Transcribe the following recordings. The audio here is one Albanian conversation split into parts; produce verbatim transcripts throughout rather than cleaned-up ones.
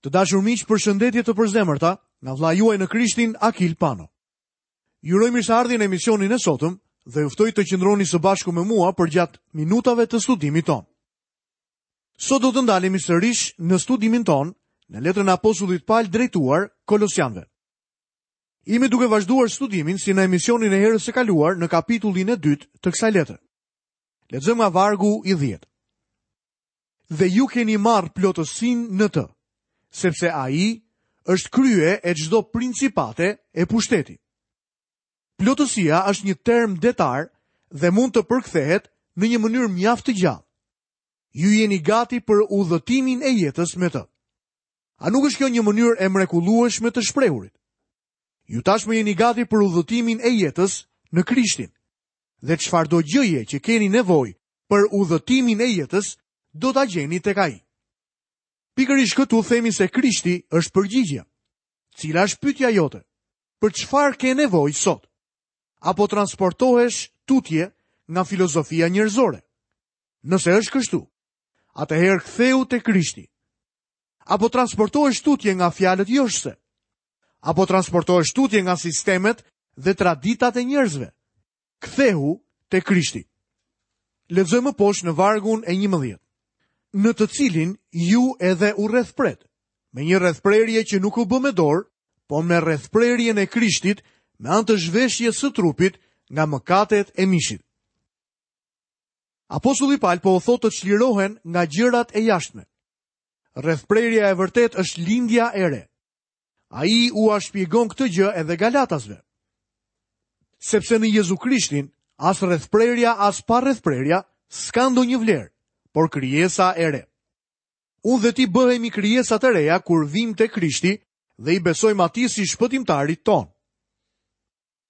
Të dashur miq, përshëndetje të përzemërta nga vëllai juaj në Krishtin Akil Pano. Ju uroj mirëseardhjen në emisionin e sotëm dhe ju ftoj të qëndroni së bashku me mua përgjatë minutave të studimit tonë. Sot do të ndalemi sërish në studimin tonë në letrën e apostullit Paul drejtuar Kolosianëve. Jemi duke vazhduar studimin si në emisionin e herës së kaluar në kapitullin e dytë të kësaj letre. Lexojmë nga vargu i dhjetë. Dhe ju keni marrë plotësinë në të, sepse ai është krye e çdo principate e pushteti. Plotësia është një term detar dhe mund të përkthehet në një mënyrë mjaft të gjallë. Ju jeni gati për udhëtimin e jetës me të. A nuk është kjo një mënyrë e mrekullueshme të shprehurit? Ju tashmë jeni gati për udhëtimin e jetës në Krishtin. Dhe çfarëdo gjëje që keni nevojë për udhëtimin e jetës, do ta gjeni tek ai. Pikërisht këtu themi se Krishti është përgjigjja. Cila është pyetja jote? Për çfarë ke nevojë sot? Apo transportohesh tutje nga filozofia njerëzore? Nëse është kështu, atëherë ktheu te Krishti. Apo transportohesh tutje nga fjalët joshëse? Apo transportohesh tutje nga sistemet dhe traditat e njerëzve? Kthehu te Krishti. Lexojmë më poshtë në vargun e njëmbëdhjetë. Në të cilin ju edhe u rrethpret, me një rrethprerje që nuk u bë me dorë, po me rrethprerjen e Krishtit, me anë të zhveshjes së trupit nga mëkatet e mishit. Apostulli Paul po u thotë të çlirohen nga gjërat e jashtme. Rrethprerja e vërtetë është lindja e re. Ai ua shpjegon këtë gjë edhe Galatasve. Sepse në Jezu Krishtin, as rrethprerja, as pa rrethprerja, s'ka ndonjë vlerë, por krijesa e re. Unë dhe ti bëhemi krijesa të reja kur vim te Krishti dhe i besojmë atij si shpëtimtarit tonë.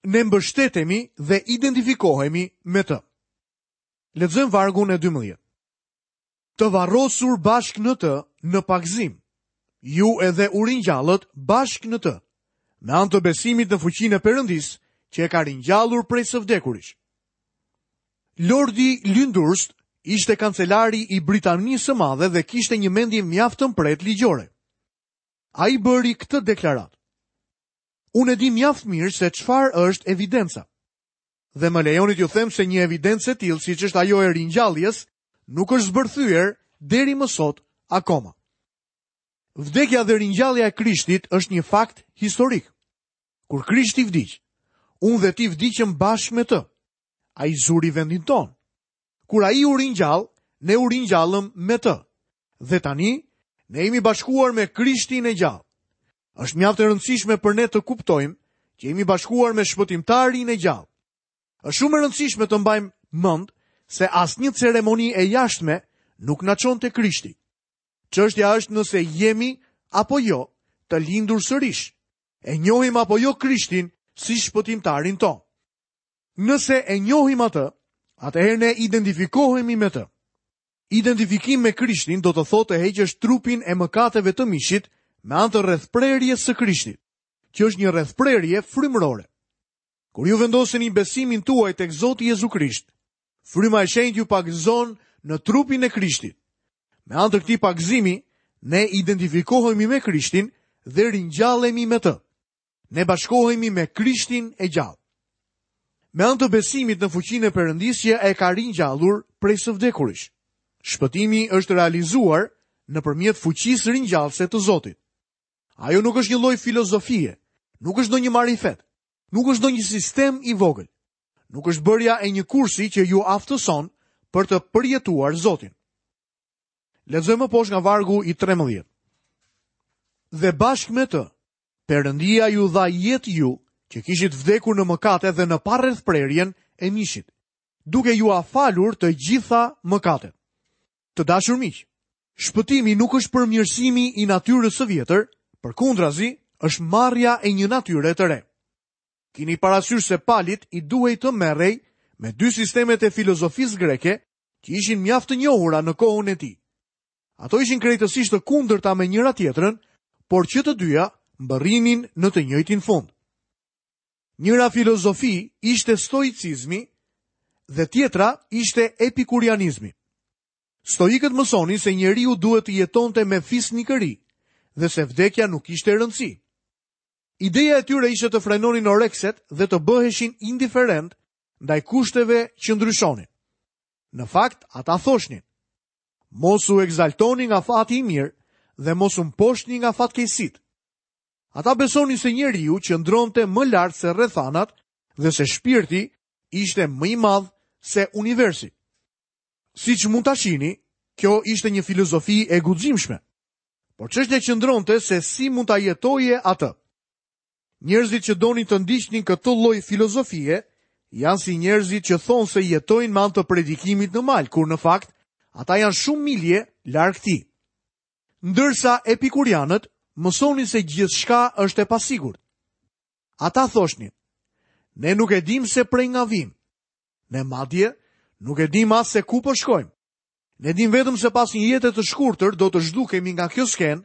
Ne mbështetemi dhe identifikohemi me të. Lexojmë vargun e dymbëdhjetë. Të varrosur bashkë në të në pagëzim, ju edhe u ringjallët bashkë në të, me anë të besimit në fuqinë e Perëndisë, që e ka ringjallur prej së vdekurish. Lordi Lyndhurst ishte kancelari i Britanisë së Madhe dhe kishte një mendje mjaft të mprehtë ligjore. Ai bëri këtë deklaratë. Unë e di mjaft mirë se çfarë është evidenca. Dhe më lejoni t'ju them se një evidencë e tillë, siç është ajo e ringjalljes, nuk është zbërthyer deri më sot akoma. Vdekja dhe ringjallja e Krishtit është një fakt historik. Kur Krishti vdiq, unë dhe ti vdiqëm bashkë me të. Ai zuri vendin tonë. Kur ai u ringjall, ne u ringjallëm me të. Dhe tani, ne jemi bashkuar me Krishtin e gjallë. Është mjaft e rëndësishme për ne të kuptojmë që jemi bashkuar me shpëtimtarin e gjallë. Është shumë e rëndësishme të mbajmë mend se asnjë ceremoni e jashtme nuk na çon te Krishti. Çështja është nëse jemi apo jo të lindur sërish. E njohim apo jo Krishtin si shpëtimtarin tonë. Nëse e njohim atë, atëherë ne identifikohemi me të. Identifikim me Krishtin do të thotë të heqësh trupin e mëkateve të mishit me anë të rrethprerjes së Krishtit, që është një rrethprerje frymërore. Kur ju vendoseni besimin tuaj tek Zoti Jezu Krisht, fryma e shenjtë ju pagëzon në trupin e Krishtit. Me anë të këtij pagëzimi, ne identifikohemi me Krishtin dhe ringjallemi me të. Ne bashkohemi me Krishtin e gjallë. Me anë të besimit në fuqinë e Perëndisë që e ka ringjallur prej së vdekurish. Shpëtimi është realizuar nëpërmjet fuqisë ringjallëse të Zotit. Ajo nuk është një lloj filozofie, nuk është ndonjë marifet, nuk është ndonjë sistem i vogël. Nuk është bërja e një kursi që ju aftëson për të përjetuar Zotin. Lexojmë më poshtë nga vargu i trembëdhjetë. Dhe bashkë me të, Perëndia ju dha jetë ju, që kishit vdekur në mëkate dhe në parrethprerjen e mishit, duke ju afalur të gjitha mëkatet. Të dashur miq, shpëtimi nuk është përmirësimi i natyrës së vjetër, përkundrazi është marrja e një natyre të re. Kini parasysh se Palit i duhej të merrej me dy sistemet e filozofisë greke që ishin mjaft të njohura në kohën e tij. Ato ishin krejtësisht të kundërta me njëra tjetrën, por që të dyja mbërrinin në të njëjtin fund. Njëra filozofi ishte stoicizmi dhe tjetra ishte epikurianizmi. Stoikët mësonin se njeriu duhet të jetonte me fisnikëri dhe se vdekja nuk ishte rëndësi. Ideja e tyre ishte të frenonin orekset dhe të bëheshin indiferent ndaj kushteve që ndryshonin. Në fakt, ata thoshnin: Mos u ekzaltoni nga fati i mirë dhe mos u mposhtni nga fatkeqësitë. Ata besonin se njeriu qëndronte më lart se rrethanat dhe se shpirti ishte më i madh se universi. Siç mund ta shihni, kjo ishte një filozofi e guximshme. Por çështja qëndronte se si mund ta jetoje atë. Njerëzit që donin të ndiqnin këtë lloj filozofie janë si njerëzit që thonë se jetojnë me anë të predikimit në mal, kur në fakt ata janë shumë milje larg tij. Ndërsa epikurianët mësonin se gjithçka është e pasigurt. Ata thoshnin: Ne nuk e dim se prej nga vim. Ne madje nuk e dim as se ku po shkojmë. Ne dim vetëm se pas një jete të shkurtër do të zhdukemi nga kjo skenë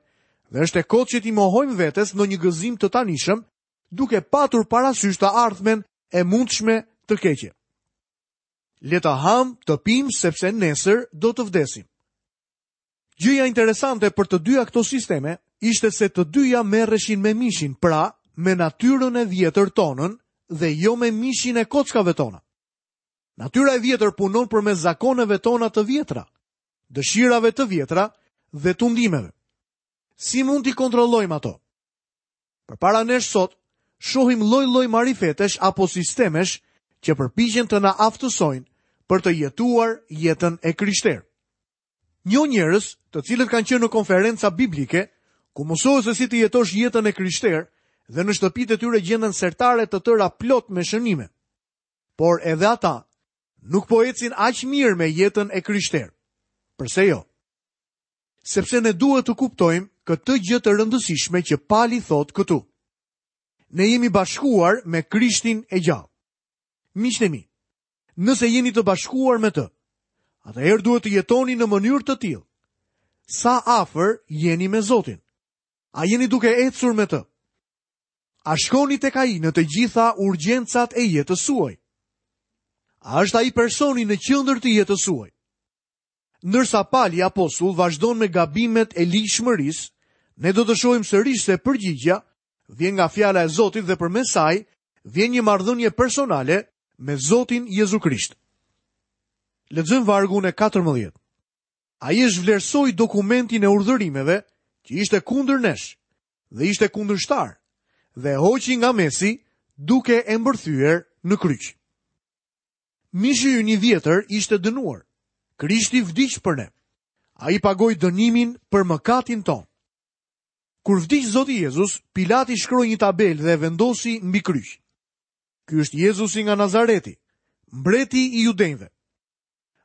dhe është e kotë që t'i mohojmë vetes në një gëzim të tanishëm, duke patur parasysh të ardhmen e mundshme të keqe. Le të ham, të pim, sepse nesër do të vdesim. Gjëja interesante për të dyja këto sisteme ishte se të dyja merreshin me mishin, pra me natyrën e vjetër tonën dhe jo me mishin e kockave tona. Natyra e vjetër punon përmes zakoneve tona të vjetra, dëshirave të vjetra dhe tundimeve. Si mund t'i kontrollojmë ato? Përpara nesh sot, shohim lloj-lloj marifetesh apo sistemesh që përpiqen të na aftësojnë për të jetuar jetën e krishterë. Njoh njerëz, të cilët kanë qenë në konferenca biblike, ku mësohet se si të jetosh jetën e krishterë dhe në shtëpitë e tyre gjenden sertare të tëra plot me shënime. Por edhe ata nuk po ecin aq mirë me jetën e krishterë. Përse jo? Sepse ne duhet të kuptojmë këtë gjë të rëndësishme që Pali thotë këtu. Ne jemi bashkuar me Krishtin e gjallë. Miqtë e mi, nëse jeni të bashkuar me të, atëherë duhet të jetoni në mënyrë të tillë. Sa afër jeni me Zotin? A jeni duke ecur me të? A shkoni tek ai në të gjitha urgjencat e jetës suaj? A është ai personi në qendër të jetës suaj? Ndërsa Pali apostull vazhdon me gabimet e ligjshmërisë, ne do të shohim sërish se përgjigjja vjen nga fjala e Zotit dhe përmes saj vjen një marrëdhënie personale me Zotin Jezu Krisht. Lexojmë vargun e katërmbëdhjetë. Ai e zhvlerësoi dokumentin e urdhërimeve që ishte kundër nesh dhe ishte kundërshtar dhe e hoqi nga mesi duke e mbërthyer në kryq. Mishi ynë i vjetër ishte dënuar. Krishti vdiq për ne. Ai pagoi dënimin për mëkatin ton. Kur vdiq Zoti Jezus, Pilati shkroi një tabelë dhe e vendosi mbi kryq. Ky është Jezusi nga Nazareti, mbreti i judenjve.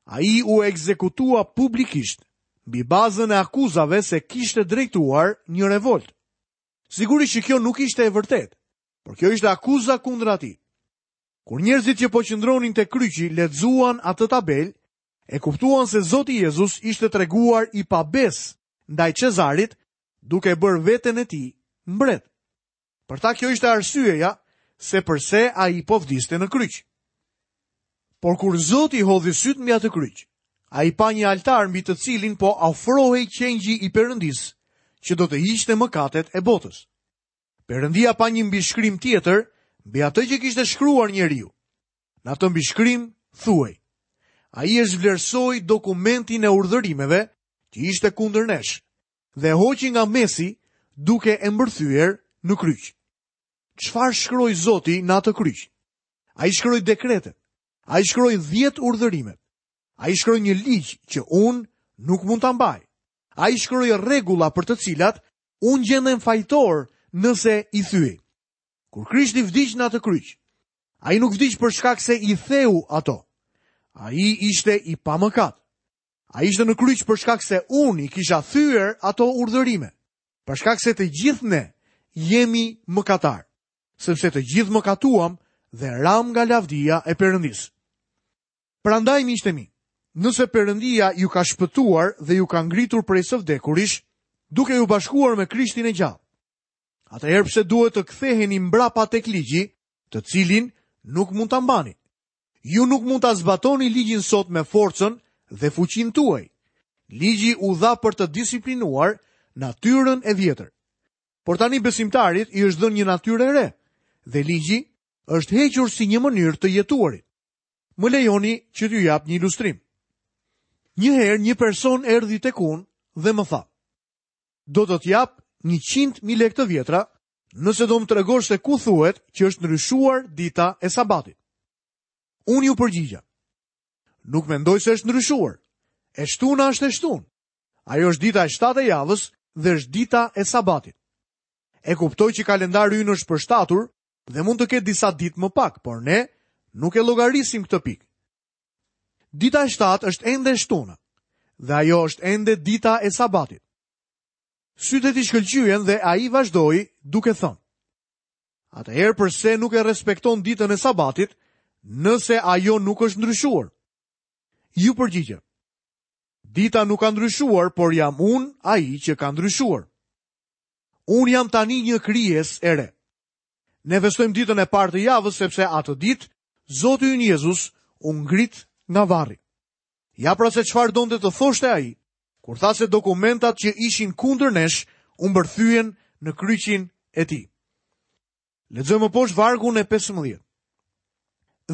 Ai u ekzekutua publikisht mbi bazën e akuzave se kishte drejtuar një revolt. Sigurisht që kjo nuk ishte e vërtetë, por kjo ishte akuza kundër atij. Kur njerëzit që po qëndronin te kryqi lexuan atë tabelë, e kuptuan se Zoti Jezus ishte treguar i pabes ndaj Cezarit, duke bërë veten e tij mbret. Për ta kjo ishte arsyeja se përse ai po vdiste në kryq. Por kur Zoti hodhi syt mbi atë kryq, ai pa një altar mbi të cilin po ofrohej qengji i Perëndisë, që do të hiqte mëkatet e botës. Perëndia pa një mbishkrim tjetër mbi atë që kishte shkruar njeriu. Në atë mbishkrim thuhej: Ai e zhvlerësoi dokumentin e urdhërimeve që ishte kundër nesh dhe e hoqi nga mesi duke e mbërthyer në kryq. Çfarë shkroi Zoti në atë kryq? Ai shkroi dekretet. Ai shkroi dhjetë urdhërimet. Ai shkroi një ligj që unë nuk mund ta mbaj. Ai shkroi rregulla për të cilat unë gjendem fajtor nëse i thyej. Kur Krishti vdiq në atë kryq, ai nuk vdiq për shkak se i theu ato. Ai ishte i pamëkat. Ai ishte në kryq për shkak se unë i kisha thyer ato urdhërime, për shkak se të gjithë ne jemi mëkatar, sepse të gjithë mëkatuam dhe ram nga lavdia e Perëndisë. Prandaj, miqtë e mi, nëse Perëndia ju ka shpëtuar dhe ju ka ngritur prej së vdekurish, duke ju bashkuar me Krishtin e gjallë, atëherë pse duhet të ktheheni mbrapa tek ligji, të cilin nuk mund ta mbani? Ju nuk mund ta zbatoni ligjin sot me forcën dhe fuqinë tuaj. Ligji u dha për të disiplinuar natyrën e vjetër. Por tani besimtarit i është dhënë një natyrë e re dhe ligji është hequr si një mënyrë të jetuarit. Më lejoni që t'ju jap një ilustrim. Një herë një person erdhi tek unë dhe më tha: "Do të të jap njëqind mijë lekë të vjetra nëse do më tregosh se ku thuhet që është ndryshuar dita e sabatit." Unë ju përgjigja: "Nuk mendoj se është ndryshuar. E shtuna është e shtunë. Ajo është dita e shtatë e javës dhe është dita e sabatit. E kuptoj që kalendari ynë është përshtatur dhe mund të ketë disa ditë më pak, por ne nuk e llogarisim këtë pikë. Dita e shtatë është ende e shtuna dhe ajo është ende dita e sabatit." Sytë e tij shkëlqyen dhe ai vazhdoi duke thënë: "Atëherë përse nuk e respekton ditën e sabatit, nëse ajo nuk është ndryshuar?" Ju përgjigja: "Dita nuk ka ndryshuar, por jam unë ai që ka ndryshuar. Unë jam tani një krijesë e re." Ne festojmë ditën e parë të javës sepse atë ditë Zoti ynë Jezus u ngrit nga varri. Ja pra se çfarë donte të thoshte ai kur tha se dokumentat që ishin kundër nesh u mbërthyen në kryqin e tij. Lexojmë poshtë vargun e pesëmbëdhjetë.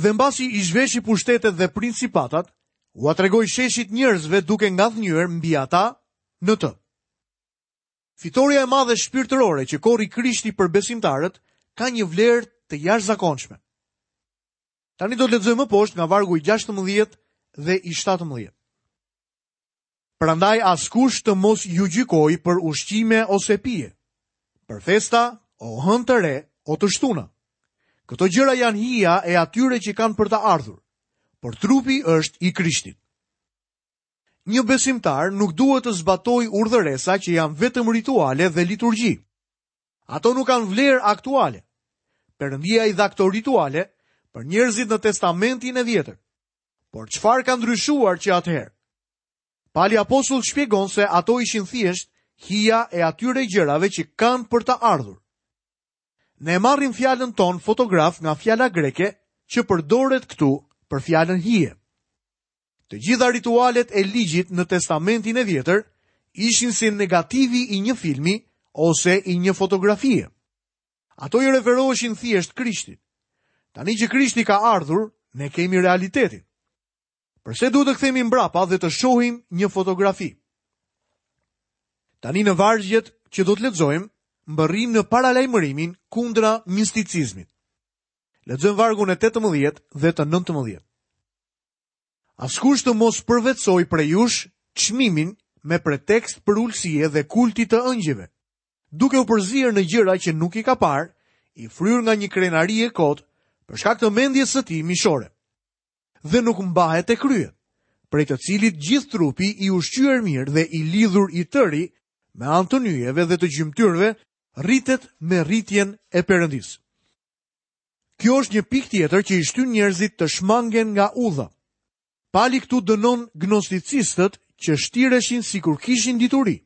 Dhe mbasi i zhveshi pushtetet dhe principatat, ua tregoi sheshit njerëzve duke ngadhnyer mbi ata në të. Fitoria e madhe shpirtërore që korri Krishti për besimtarët ka një vlerë të jashtëzakonshme. Tani do të lexojmë më poshtë nga vargu i gjashtëmbëdhjetë dhe i shtatëmbëdhjetë. Prandaj askush të mos ju gjykoj për ushqime ose pije, për festa, o hënë të re, o të shtuna. Këto gjëra janë hija e atyre që kanë për të ardhur, por trupi është i Krishtit. Një besimtar nuk duhet të zbatojë urdhëresa që janë vetëm rituale dhe liturgji. Ato nuk kanë vlerë aktuale. Perëndia i dha këto rituale për njerëzit në Testamentin e Vjetër. Por çfarë ka ndryshuar që atëherë? Pali apostull shpjegon se ato ishin thjesht hija e atyre gjërave që kanë për të ardhur. Ne marrim fjalën tonë fotograf nga fjala greke që përdoret këtu për fjalën hije. Të gjitha ritualet e ligjit në Testamentin e Vjetër ishin si negativi i një filmi ose i një fotografie. Ato i referoheshin thjesht Krishtit. Tani që Krishti ka ardhur, ne kemi realitetin. Përse duhet të kthehemi mbrapa dhe të shohim një fotografi? Tani në vargjet që do të lexojmë, mbërrim në paralajmërimin kundra misticizmit. Lexojmë vargun e tetëmbëdhjetë dhe të nëntëmbëdhjetë. Askush të mos përvetësoj prej jush çmimin me pretekst për ulësie dhe kulti të ëngjëve, duke u përzier në gjëra që nuk i ka parë, i fryrë nga një krenari e kotë, për shkak të mendjes së tij mishore. Dhe nuk mbahet e kryet, prej të cilit gjithë trupi i ushqyer mirë dhe i lidhur i tëri me anë të nyjeve dhe të gjymtyrëve rritet me rritjen e Perëndisë. Kjo është një pikë tjetër që i shtyn njerëzit të shmangen nga udha. Pali këtu dënon gnosticistët që shtireshin sikur kishin dituri.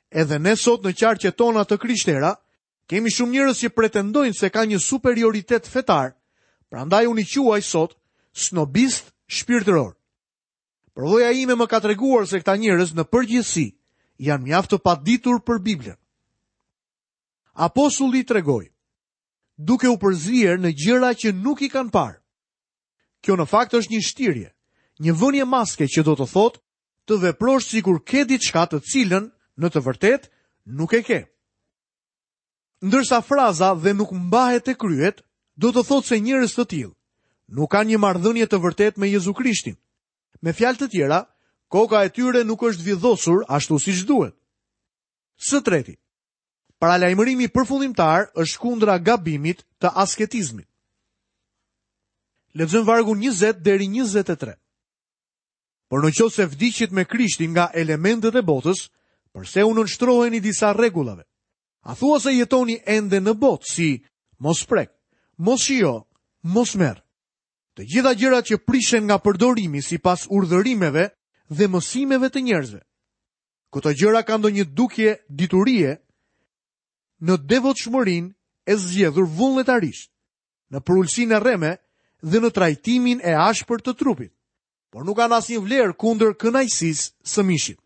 Edhe ne sot në qarqet tona të krishtera, kemi shumë njerëz që pretendojnë se ka një superioritet fetar, prandaj unë i quaj sot snobist shpirtëror. Përvoja ime më ka treguar se këta njerëz në përgjithësi janë mjaft të paditur për Biblën. Apostulli tregoi, duke u përzier në gjëra që nuk i kanë parë. Kjo në fakt është një shtirje, një vënie maske që do të thotë të veprosh sikur ke diçka të cilën në të vërtetë nuk e ke. Ndërsa fraza dhe nuk mbahet e kryet, do të thotë se njerëz të tillë nuk kanë një marrëdhënie të vërtetë me Jezu Krishtin. Me fjalë të tjera, koka e tyre nuk është vidhosur ashtu siç duhet. Së treti, paralajmërimi përfundimtar është kundra gabimit të asketizmit. Lexojmë vargun njëzet deri njëzet e tre. Por në qoftë se vdiqit me Krishtin nga elementët e botës, përse u nënshtroheni disa rregullave? A thua se jetoni ende në botë si mos prek, mos shijo, mos merr? Të gjitha gjërat që prishen nga përdorimi sipas urdhërimeve dhe mësimeve të njerëzve. Këto gjëra kanë ndonjë dukje diturie në devotshmërinë e zgjedhur vullnetarisht, në përulësinë e rreme dhe në trajtimin e ashpër të trupit, por nuk kanë asnjë vlerë kundër kënaqësisë së mishit.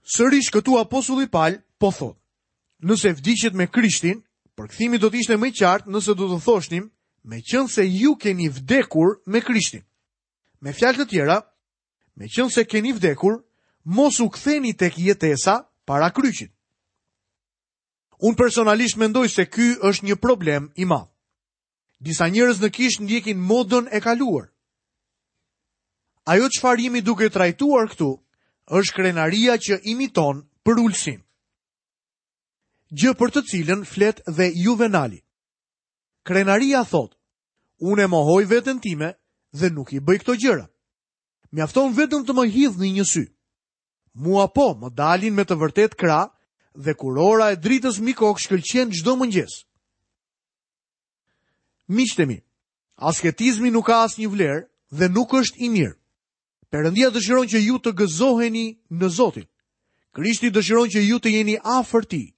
Sërish këtu apostulli Pal po thotë, nëse vdiqët me Krishtin, përkthimi do të ishte më i qartë nëse do të thoshnim, meqense ju keni vdekur me Krishtin. Me fjalë të tjera, meqense keni vdekur, mos u ktheni tek jetesa para kryqit. Unë personalisht mendoj se ky është një problem i madh. Disa njerëz në kishë ndjekin modën e kaluar. Ajo çfarë jemi duke trajtuar këtu është krenaria që imiton përulësinë. Gjë për të cilën flet dhe Juvenali. Krenaria thotë, unë e mohoj veten time dhe nuk i bëj këto gjëra. Mjafton vetëm të më hidhni një sy. Mua po, më dalin me të vërtet krah dhe kurora e dritës mbi kokë shkëlqen çdo mëngjes. Miqtë e mi, asketizmi nuk ka asnjë vlerë dhe nuk është i mirë. Perëndia dëshiron që ju të gëzoheni në Zotin. Krishti dëshiron që ju të jeni afër tij.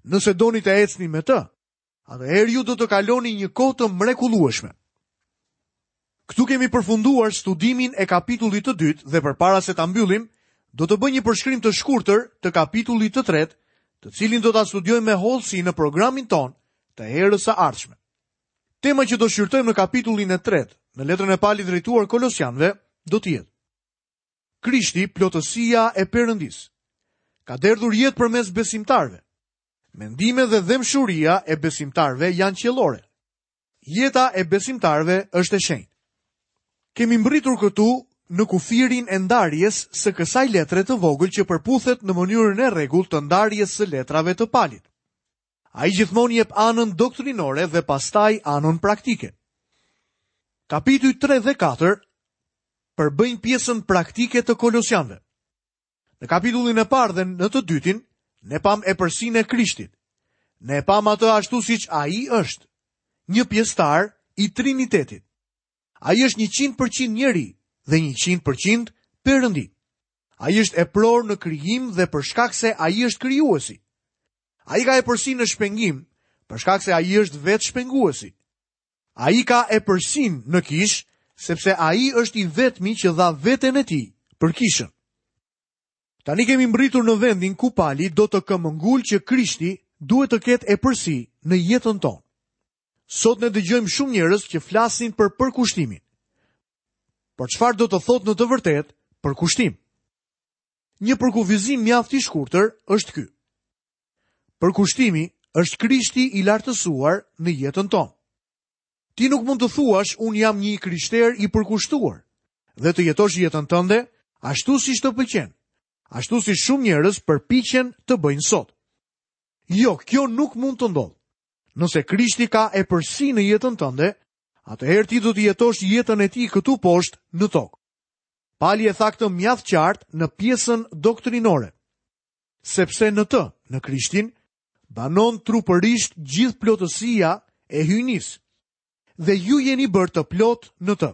Nëse doni të ecni me të, atëherë ju do të kaloni një kohë të mrekullueshme. Këtu kemi përfunduar studimin e kapitullit të dytë dhe përpara se ta mbyllim, do të bëj një përshkrim të shkurtër të kapitullit të tretë, të cilin do ta studiojmë me hollësi në programin ton të herës së ardhshme. Tema që do shqyrtojmë në kapitullin e tretë, në letrën e Palit drejtuar Kolosianëve, do të jetë Krishti, plotësia e Perëndisë, ka derdhur jetë përmes besimtarëve. Mendime dhe dhembshuria e besimtarëve janë qiellore. Jeta e besimtarëve është e shenjtë. Kemi mbërritur këtu në kufirin e ndarjes së kësaj letre të vogël që përputhet në mënyrën e rregullt të ndarjes së letrave të Palit. Ai gjithmonë jep anën doktrinore dhe pastaj anën praktike. Kapitujt tre dhe katër përbëjnë pjesën praktike të Kolosianëve. Në kapitullin e parë dhe në të dytin, ne pam epërsinë e Krishtit. Ne pam atë ashtu siç ai është, një pjesëtar i Trinitetit. Ai është njëqind përqind njeri dhe njëqind përqind Perëndi. Ai është epror në krijim dhe për shkak se ai është krijuesi. Ai ka epërsinë në shpengim, për shkak se ai është vetë shpenguesi. Ai ka epërsinë në kishë, sepse ai është i vetmi që dha veten e tij për kishën. Tani kemi mbërritur në vendin ku Pali do të këmbëngul që Krishti duhet të ketë epërsi në jetën tonë. Sot ne dëgjojmë shumë njerëz që flasin për përkushtimin. Por çfarë do të thotë në të vërtetë përkushtim? Një përkufizim mjaft i shkurtër është ky. Përkushtimi është Krishti i lartësuar në jetën tonë. Ti nuk mund të thuash unë jam një krishter i përkushtuar dhe të jetosh jetën tënde ashtu siç të pëlqen, ashtu si shumë njerëz përpiqen të bëjnë sot. Jo, kjo nuk mund të ndodhë. Nëse Krishti ka epërsi në jetën tënde, atëherë ti do të jetosh jetën e tij këtu poshtë në tokë. Pali e tha këtë mjaft qartë në pjesën doktrinore, sepse në të, në Krishtin, banon trupërisht gjithë plotësia e hyjnisë, dhe ju jeni bërë të plot në të.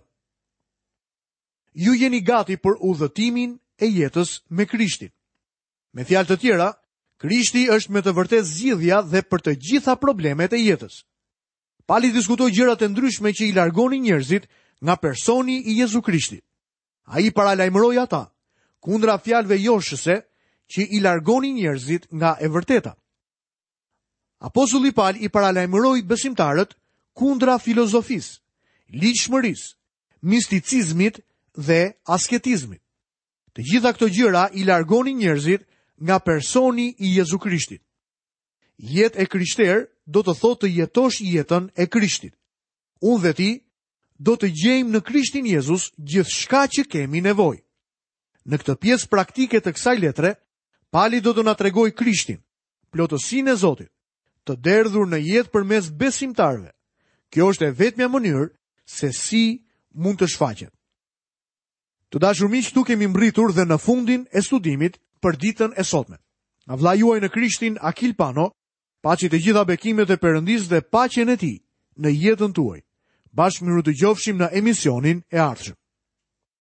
Ju jeni gati për udhëtimin e jetës me Krishtin. Me fjalë të tjera, Krishti është me të vërtetë zgjidhja dhe për të gjitha problemet e jetës. Pali diskutoi gjërat e ndryshme që i largonin njerëzit nga personi i Jezu Krishtit. Ai paralajmëroi ata kundra fjalëve joshëse që i largonin njerëzit nga e vërteta. Apostulli Pal i paralajmëroi besimtarët kundra filozofisë, ligjshmërisë, misticizmit dhe asketizmit. Të gjitha këto gjëra i largonin njerëzit nga personi i Jezu Krishtit. Jetë e krishterë do të thotë të jetosh jetën e Krishtit. Unë dhe ti do të gjejmë në Krishtin Jezus gjithçka që kemi nevojë. Në këtë pjesë praktike të kësaj letre, Pali do të na tregojë Krishtin, plotësinë e Zotit, të derdhur në jetë përmes besimtarëve. Kjo është e vetmja mënyrë se si mund të shfaqet. Të dashur miq, këtu kemi mbërritur dhe në fundin e studimit për ditën e sotme. Nga vëllai juaj në Krishtin, Akil Pano, paçi të gjitha bekimet e Perëndisë dhe paqen e tij në jetën tuaj. Bashkë mirudëgjofshim në emisionin e ardhshëm.